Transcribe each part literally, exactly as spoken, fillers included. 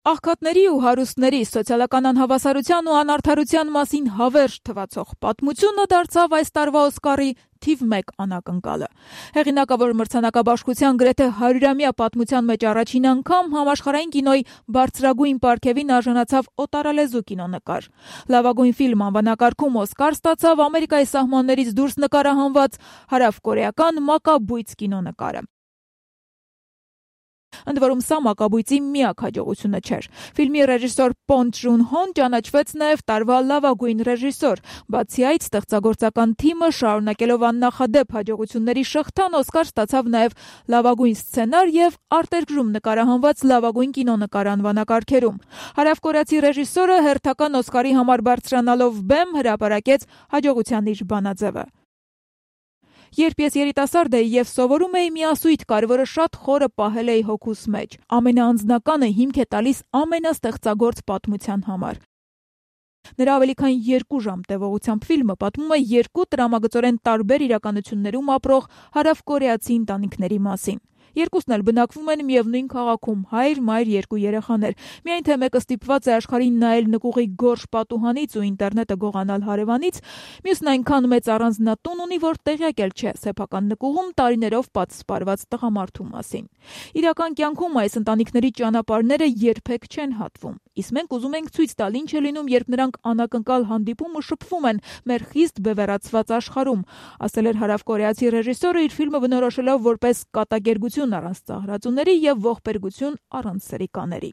Աղքատների ու հարուստների սոցիալական անհավասարության ու անարդարության մասին հավերժ թվացող պատմությունը դարձավ այս տարվա Օսկարի թիվ մեկ անակնկալը։ Հեղինակավոր մրցանակաբաշխության գրեթե հարյուրամյա պատմության մեջ առաջին անգամ համաշխարհային կինոյի բարձրագույն պարգևին արժանացավ օտարալեզու կինոնկար։ Լավագույն ֆիլմ անվանակարգում Օսկար ստացավ Ամերիկայի սահմաններից դուրս նկարահանված հարավկորեական «Մակաբույծ» կինոնկարը։ Ընդ որում սա մակաբույծի միակ հաջողությունը չէր։ Ֆիլմի ռեժիսոր Պոնգ Ջուն Հոն ճանաչվեց նաև տարվա լավագույն ռեժիսոր։ Բացի այդ, ստեղծագործական թիմը շարունակելով աննախադեպ հաջողությունների շղթան Օսկար ստացավ նաև լավագույն սցենար եւ արտերկրում նկարահանված լավագույն կինոնկար անվանակարգերում։ Հարավկորեացի ռեժիսորը հերթական Օսկարի համար բարձրանալով բեմ հրապարակեց հաջողության իր բանաձևը։ Երբ ես երիտասարդ էի եւ սովորում էի, մի ասույթ կար, որը շատ խորը պահել էի հոգուս մեջ. ամենաանձնականը հիմք է տալիս ամենաստեղծագործ պատմության համար։ Նրա ավելի քան երկու ժամ տևողությամբ ֆիլմը պատմում է երկու տրամագծորեն տարբեր իրականություններում ապրող հարավկորեացի ընտանիքների մասին։ Երկուսն էլ բնակվում են միևնույն քաղաքում, հայր, մայր, երկու երեխաներ։ Միայն թե մեկը ստիպված է աշխարհին նայել նկուղի գորշ պատուհանից ու ինտերնետը գողանալ հարևանից, մյուսն այնքան մեծ առանձնատուն ունի, որ տեղյակ էլ չէ սեփական նկուղում տարիներով պատսպարված տղամարդու մասին։ Իրական կյանքում այս ընտանիքների ճանապարհները երբեք չեն հատվում։ Իսկ մենք ուզում ենք ցույց տալ, ինչ է լինում, երբ նրանք անակնկալ հանդիպում ու շփվում են մեր խիստ բևեռացված աշխարհում, ասել էր հարավկորեացի ռեժիսորը իր ֆիլմը բնորոշելով որպես կատակերգություն առանց ծաղրածուների եւ ողբերգություն առանց սրիկաների։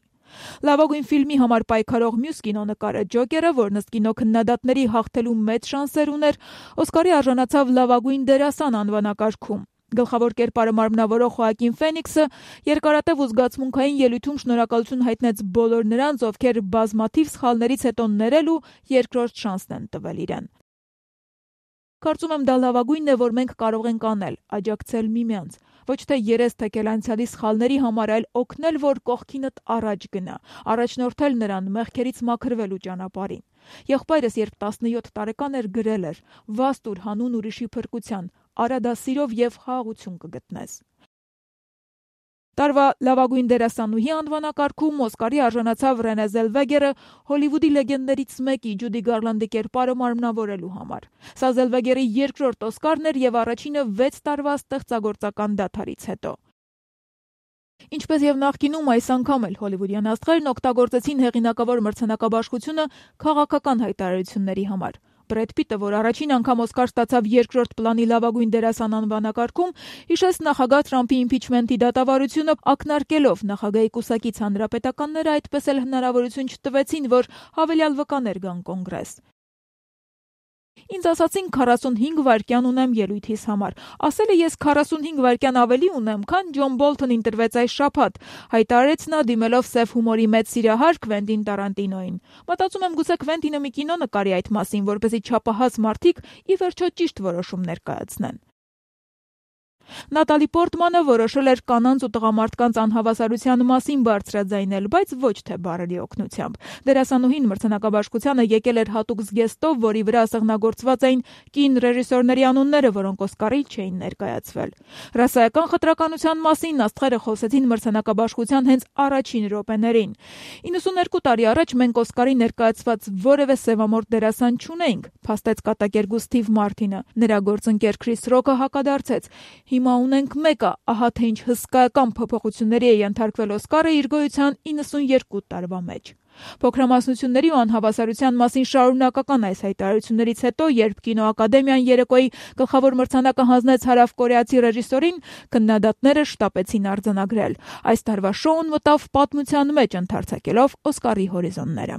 Լավագույն ֆիլմի համար պայքարող մյուս կինոնկարը Ջոկերը, որն ըստ կինոքննադատների հաղթելու մեծ շանսեր ուներ, Օսկարի արժանացավ լավագույն դերասան անվանակարգում։ Գլխավոր կերպարը մարմնավորող Խոակին Ֆենիքսը երկարատև ու զգացմունքային ելույթում շնորհակալություն հայտնեց բոլոր նրանց, ովքեր բազմաթիվ սխալներից հետո ներել ու երկրորդ շանսն են տվել իրեն։ Կարծում եմ դա լավագույնն է, որ մենք կարող ենք անել, աջակցել միմյանց, ոչ թե երես թեքել անցյալի սխալների համար, այլ օգնել, որ կողքինդ առաջ գնա, առաջնորդել նրան մեղքերից մաքրվելու ճանապարհին։ Եղբայրս, երբ տասնյոթ տարեկան էր, գրել էր. «Վաստ ուր հանուն ուրիշի փրկության, արա դա սիրով եւ խաղաղություն կգտնես»։ Տարվա լավագույն դերասանուհի անվանակարգում Օսկարի արժանացավ Ռենե Զելվեգերը Հոլիվուդի լեգենդներից մեկի Ջուդի Գարլանդի կերպարը մարմնավորելու համար։ Սա Զելվեգերի երկրորդ Օսկարն էր եւ առաջինը վեց տարվա ստեղծագործական դադարից հետո։ Ինչպես եւ նախկինում, այս անգամ էլ հոլիվուդյան աստղերն օգտագործեցին հեղինակավոր մրցանակաբաշխությունը քաղաքական հայտարարությունների համար։ Բրեդ Պիտը, որ առաջին անգամ Օսկար ստացավ երկրորդ պլանի լավագույն դերասան անվանակարգում, հիշեց նախագահ Թրամփի իմպիչմենթի դատավարությունը, ակնարկելով նախագահի կուսակից հանրապետականները այդպես էլ հնարավորություն չտվեցին, որ հավելյալ վկաներ գան կոնգրես։ Ինձ ասացին քառասունհինգ վայրկյան ունեմ ելույթիս համար։ Ասել է ես քառասունհինգ վայրկյան ավելի ունեմ, քան Ջոն Բոլթն ընտրվեց այս շաբաթ, հայտարարեց նա դիմելով սև հումորի մեծ սիրահար Քվենտին Տարանտինոին։ Մտածում եմ գուցե Քվենտինը մի կինո նկարի այդ մասին, որպեսզի չափահաս մարդիկ ի վերջո ճիշտ որոշումներ կայացնեն։ Նատալի Պորտմանը որոշել էր կանանց ու տղամարդկանց անհավասարության մասին բարձրաձայնել, բայց ոչ թե բառերի օգնությամբ։ Դերասանուհին մրցանակաբաշխությանը եկել էր հատուկ զգեստով, որի վրա սեղնագործված էին կին ռեժիսորների անունները, որոնք Օսկարի չէին ներկայացվել։ Ռասայական խտրականության մասին աստղերը խոսեցին մրցանակաբաշխության հենց առաջին րոպեներին։ իննսուններկու տարի առաջ մենք Օսկարի ներկայացված որևէ սևամորթ դերասան չունեինք, փաստեց կատակերգու Սթիվ Մարտինը։ Նրա գործընկեր Քրիս Ռոքը հակադարձեց. Հիմա ունենք մեկը, ահա թե ինչ հսկայական փոփոխությունների է ենթարկվել Օսկարը իր գոյության իննսուններկու տարվա մեջ։ Փոքրամասնությունների ու անհավասարության մասին շարունակական այս հայտարարություններից հետո, երբ կինոակադեմիան երեկոյի գլխավոր մրցանակը հանձնեց հարավկորեացի ռեժիսորին, քննադատները շտապեցին արձանագրել։ Այս տարվա շոուն մտավ պատմության մեջ, ընդարձակելով Օսկարի հորիզոնները։